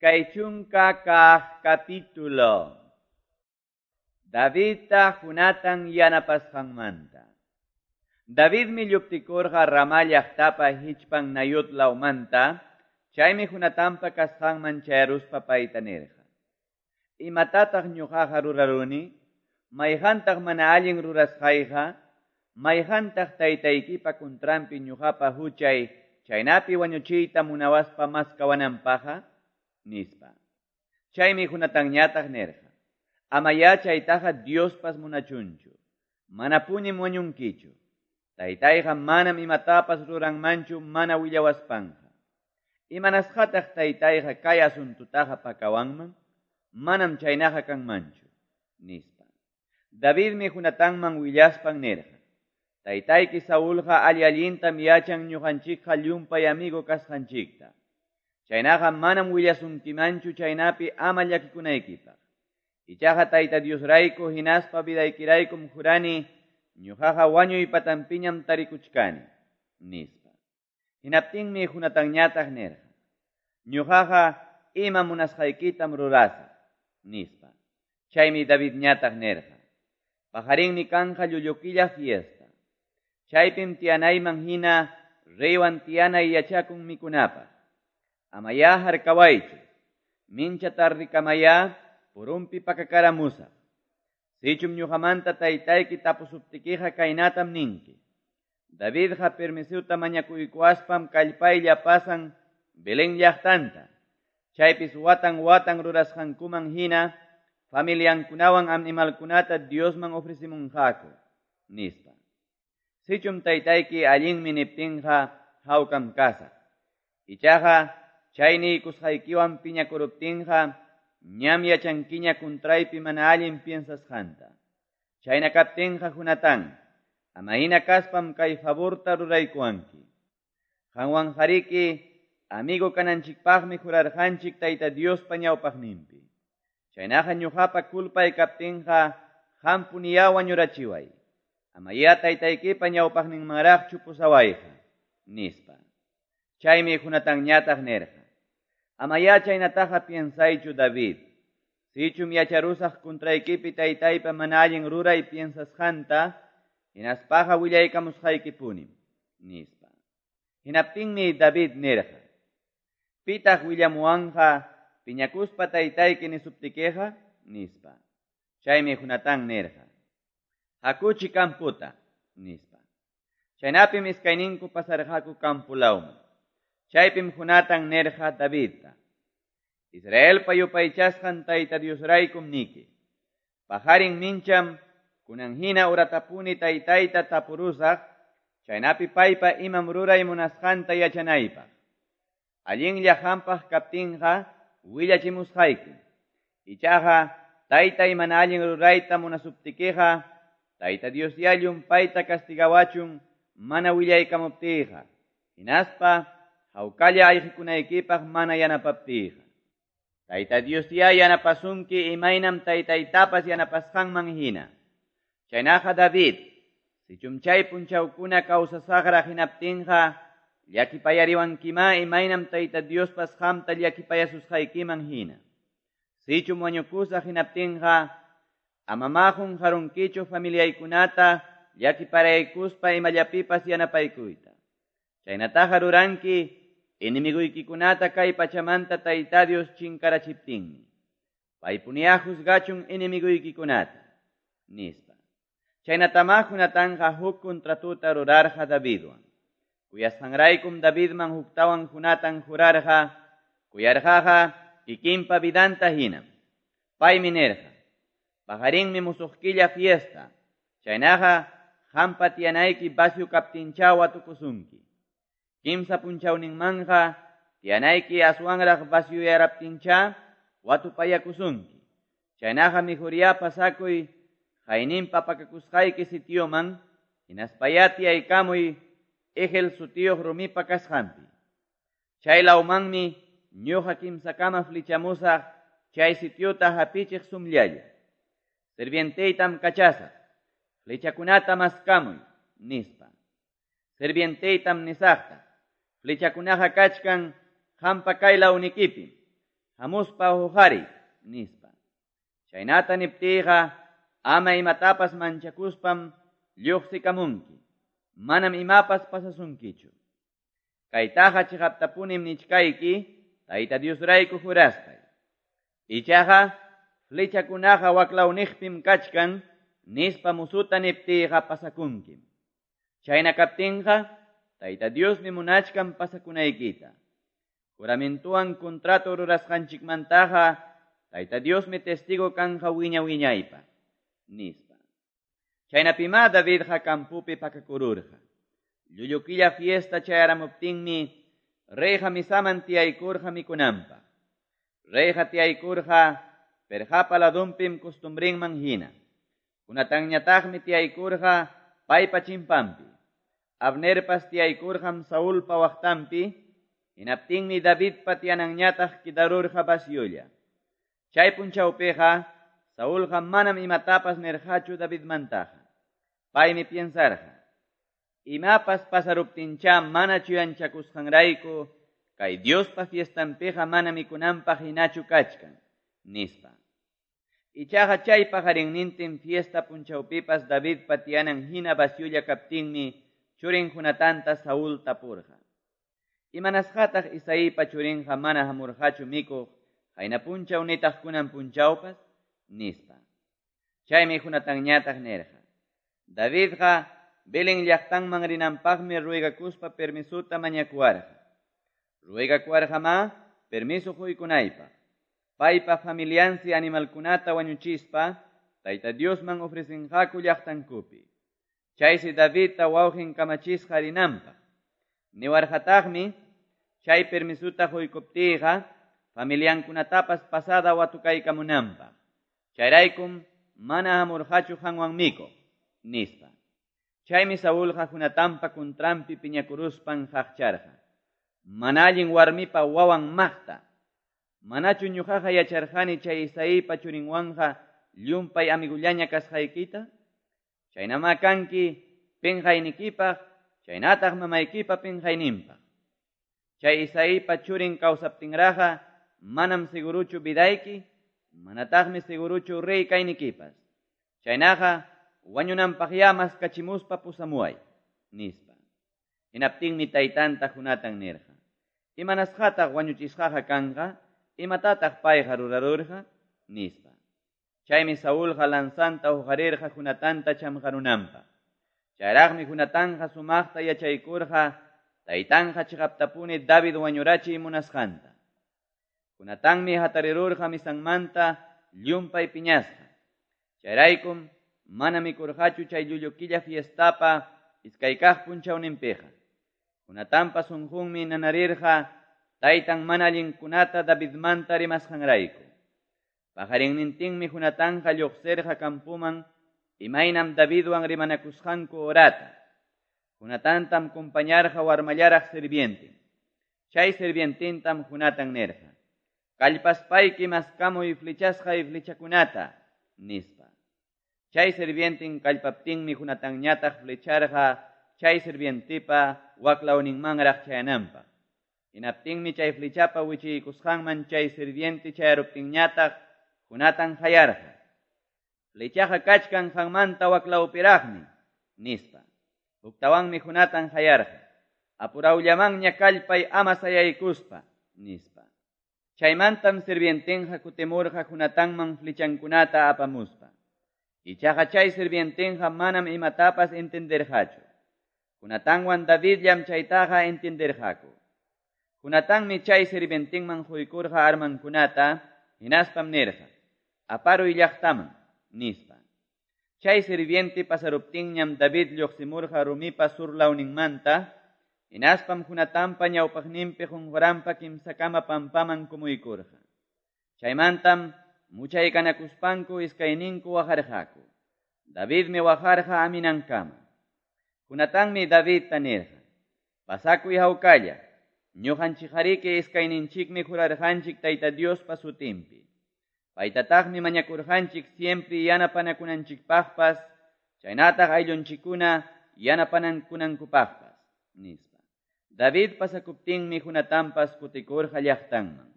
20 kaq capítulo. Davidta Jonatán yanapasqanmanta. Davidmi lluptikurqa Ramá llaqtapa hichpan Nayot lawmanta, chaymi Jonatanpa kasqanman chayaruspa payta nirqa: Imatataq ñuqaqa ruraruni? Mayqantaq mana allin rurasqayqa? Mayqantaq taytaykipa kuntranpi ñuqapa huchay, chaynapi wañuchiyta munawaspa maskawananpaqqa? Nispa. Chaymi Jonatanñataq nirqa: Amayá chaytaqa Diospas munachunchu. Manapunim wañunkichu. Taytayqa manam imatapas ruranmanchu mana willawaspanqa. Imanasqataq taytayqa kay asuntutaqa pakawanman? Manam chaynaqa kanmanchu, nispa. Davidmi Jonatanman willaspan nirqa: Taytayki Saulqa alli-allintam yachan ñuqanchikqa llumpay amigo kasqanchikta. Chaynaqa manam willasunkimanchu chaynapi ama llakikunaykipaq. Ichaqa Tayta Diosrayku hinaspa vidaykiraykum jurani, ñuqaqa wañuy patanpiñam tarikuchkani, nispa. Hinaptinmi Jonatanñataq nirqa: Ñuqaqa ima munasqaykitam rurasaq, nispa. Chaymi Davidñataq nirqa: Paqarinmi kanqa llullu killa fiesta. Chaypim tiyanayman hina reywan tiyanay yachakun mikunapaq. Amayá harkawaychu. Mincha tardikamayá purunpi pakakaramusaq. Sichum ñuqamanta taytayki tapusuptikiqa kaynatam ninki: Davidqa permisuta mañakuykuwaspam kallpaylla pasan Belén llaqtanta. Chaypis watan watan rurasqankuman hina familiankunawan animalkunata Diosman ofrecimunqaku, nispa. Sichum taytayki allinmi niptinqa hawkam kasaq. Ichaqa chay niykusqaykiwan piñakuruptinqa ñam yachankiña kuntraypi mana allin piensasqanta. Chayna kaptinqa Jonatán, amahina kaspam kay favorta ruraykuwanki. Qanwanqariki amigo kananchikpaqmi jurarqanchik Tayta Diospa ñawpaqninpi. Chaynaqa ñuqapa culpay kaptinqa qampuniyá wañurachiway. Amayá taytaykipa ñawpaqninmanraqchu pusawayqa, nispa. Chaymi Jonatanñataq nirqa: Amayá chaynataqa piensaychu David. Sichum yacharusaq kuntraykipi taytaypa mana allin ruray piensasqanta, hinaspaqa willaykamusqaykipunim, nispa. Hinaptinmi David nirqa: Pitaq willamuwanqa piñakuspa taytayki nisuptikiqa, nispa. Chaymi Jonatán nirqa: Hakuchi camputa, nispa. Chaynapim iskayninku pasarqaku campo lawman. Chaypim Jonatán nirqa Davidta: Israelpa yupaychasqan Tayta Diosraykum niki. Paqarin mincham kunan hina uratapuni taytayta tapurusaq, chaynapi paypa imam ruray munasqanta yachanaypaq. Allinlla qampaq kaptinqa willachimusqaykim. Ichaqa taytay mana allin rurayta munasuptikiqa, Tayta Diosyá llumpayta castigawachun mana willaykamuptiyqa, hinaspa hawkalla ayqikunaykipaq mana yanapaptiyqa. Tayta Diosyá yanapasunki imaynam taytaytapas yanapasqanman hina. Chaynaqa David, sichum chay punchawkuna kawsasaqraq hinaptinqa, llakipayariwankimá imaynam Tayta Diospas qamta llakipayasusqaykiman hina. Sichum wañukusaq hinaptinqa, amamá qunqarunkichu familiaykunata llakiparaykuspa imallapipas yanapaykuyta. Chaynataqa ruranki enemiguykikunata kay pachamanta Tayta Dios chinkarachiptinmi. Paypuniyá juzgachun enemiguykikunata, nispa. Chaynatamá Jonatanqa huk contratuta rurarqa Davidwan. Kuyasqanraykum Davidman huktawan Jonatán jurarqa, kuyarqaqa kikinpa vidanta hinam. Paymi nirqa: Paqarinmi musuq killa fiesta. Chaynaqa qampa tiyanayki vacío kaptinchá watukusunki. Kimsa punchawninmanqa tiyanayki aswanraq vacioyaraptinchá watupayakusunki. Chaynaqa mejoriyá pasakuy qayninpa pakakusqayki sitioman, hinaspayá tiyaykamuy Egel sutiyuq rumipa kasqanpi. Chay lawmanmi ñuqa kimsakama flechamusaq chay sitiota hapichiq sumllalla. Sirvienteytam kachasaq, flechakunata maskamuy, nispa. Sirvienteytam nisaqta, flechakunaqa kachkan qampa kay lawnikipim. Hamuspa huqariy, nispa. Chaynata niptiyqa ama imatapas manchakuspam lluqsikamunki. Manam imapas pasasunkichu. Kaytaqa chiqaptapunim nichkayki, Tayta Diosrayku juraspay. Ichaqa flechakunaqa waklawniqpim kachkan, nispa musuta niptiyqa pasakunkim. Chayna kaptinqa, Tayta Diosmi munachkan pasakunaykita. Juramentuwan contrato rurasqanchikmantaqa, Tayta Diosmi testigo kanja wiña wiñaypaq, nispa. Chaynapimá Davidqa campopi pakakururqa. Llullu killa fiesta chayaramuptinmi, reyqa misaman tiyaykurqa mikunanpaq. Reyqa tiyaykurqa perqapa ladunpim costumbrinman hina. Jonatanñataqmi tiyaykurqa paypa chimpampi. Abnerpas tiyaykurqam Saulpa waqtanpi, hinaptinmi Davidpa tiyananñataq kidarurqa vaciolla. Chay punchawpiqa Saulqa manam imatapas nirqachu Davidmantaqa. Paymi piensarqa: Imapas pasaruptincha mana chuyanchakusqanrayku, kay Diospa fiestanpiqa mana mikunanpaq hinachu kachkan, nispa. Ichaqa chay paqarinnintin fiesta punchawpipas Davidpa tiyanan hina vaciolla kaptinmi churin Jonatanta Saúl tapurqa: Imanasqataq Isaípa churinqa mana hamurqachu mikuq qayna punchaw nitaq kunan punchawpas, nispa. Chaymi Jonatanñataq nirqa: Davidqa Belén llaqtanman rinanpaqmi ruegakuspa permisuta mañakuwarqa. Ruegakuwarqamá permiso quykunaypaq. Paypa familiansi animalkunata wañuchispa Tayta Diosman ofrecinqaku llaqtankupi. Chaysi Davidta wawqin kamachisqa rinanpaq. Niwarqataqmi chay permisuta quykuptiyqa familiankunatapas pasada watukaykamunanpaq. Chayraykum mana hamurqachu qanwan mikuq, nispa. Chaymi Saulqa Jonatanpa kuntranpi piñakuruspan qaqcharqa: Mana allin warmipa wawan maqta. Manachu ñuqaqa yacharqani chay Isaípa churinwanqa llumpay amigullaña kasqaykita? Chaynamá kanki pinqaynikipaq, chaynataq mamaykipa pinqayninpaq. Chay Isaípa churin kawsaptinraqa manam seguruchu vidayki, manataqmi seguruchu rey kaynikipas. Chaynaqa wañunanpaqyá maskachimuspa pusamuway, nispa. Hinaptinmi taytanta Jonatan nirqa: Imanasqataq wañuchisqaqa kanqa? Imatataq payqa rurarurqa? Nispa. Chaymi Saulqa lanzanta huqarirqa Jonatanta chamqarunanpaq. Chayraqmi Jonatanqa sumaqta yachaykurqa taytanqa chiqaptapuni David wañurachiy munasqanta. Jonatanmi hatarirurqa misanmanta llumpay piñasqa. Chayraykum mana mikurqachu chay llullu killa fiestapa iskay kaq punchawninpiqa. Jonatanpa sunqunmi nanarirqa taytan mana allinkunata Davidmanta rimasqanrayku. Paqarinnintinmi Jonatanqa lluqsirqa campoman imaynam Davidwan rimanakusqanku horata. Jonatantam compañarqa warmallaraq sirvientin. Chay sirvientintam Jonatan nirqa: Kallpaspayki maskamuy flechasqay flechakunata, nispa. Chay sirvientin kallpaptinmi Jonatanñataq flecharqa chay sirvientipa waklawninmanraq chayananpaq. Hinaptinmi chay flechapa wichiykusqanman chay sirviente chayaruptinñataq Jonatan qayarqa: Flechaqa kachkan qanmanta waklawpiraqmi, nispa. Huktawanmi Jonatan qayarqa: Apurawllamanña kallpay ama sayaykuspa, nispa. Chaymantam sirvientinqa kutimurqa Jonatanman flechankunata apamuspa. Ichaqa chay sirvientinqa manam imatapas entenderqachu. Jonatanwan Davidllam chaytaqa entenderqaku. Jonatanmi chay sirvientinman quykurqa armankunata, hinaspam nirqa: Aparuy llaqtaman, nispa. Chay sirviente pasaruptinñam David lluqsimurqa rumipa surlawninmanta, hinaspam Jonatanpa ñawpaqninpi qunquranpa kimsakama pampaman kumuykurqa. Chaymantam muchaykanakuspanku iskayninku waqarqaku. Davidmi waqarqa aminankama. Jonatanmi Davidta nirqa: Pasakuy hawkalla, ñuqanchikqariki iskayninchikmi jurarqanchik Tayta Diospa sutinpi. Paytataqmi mañakurqanchik siempre yanapanakunanchikpaqpas, chaynataq ayllunchikkuna yanapanankunankupaqpas, nispa. David pasakuptinmi Jonatanpas kutikurqa llaqtanman.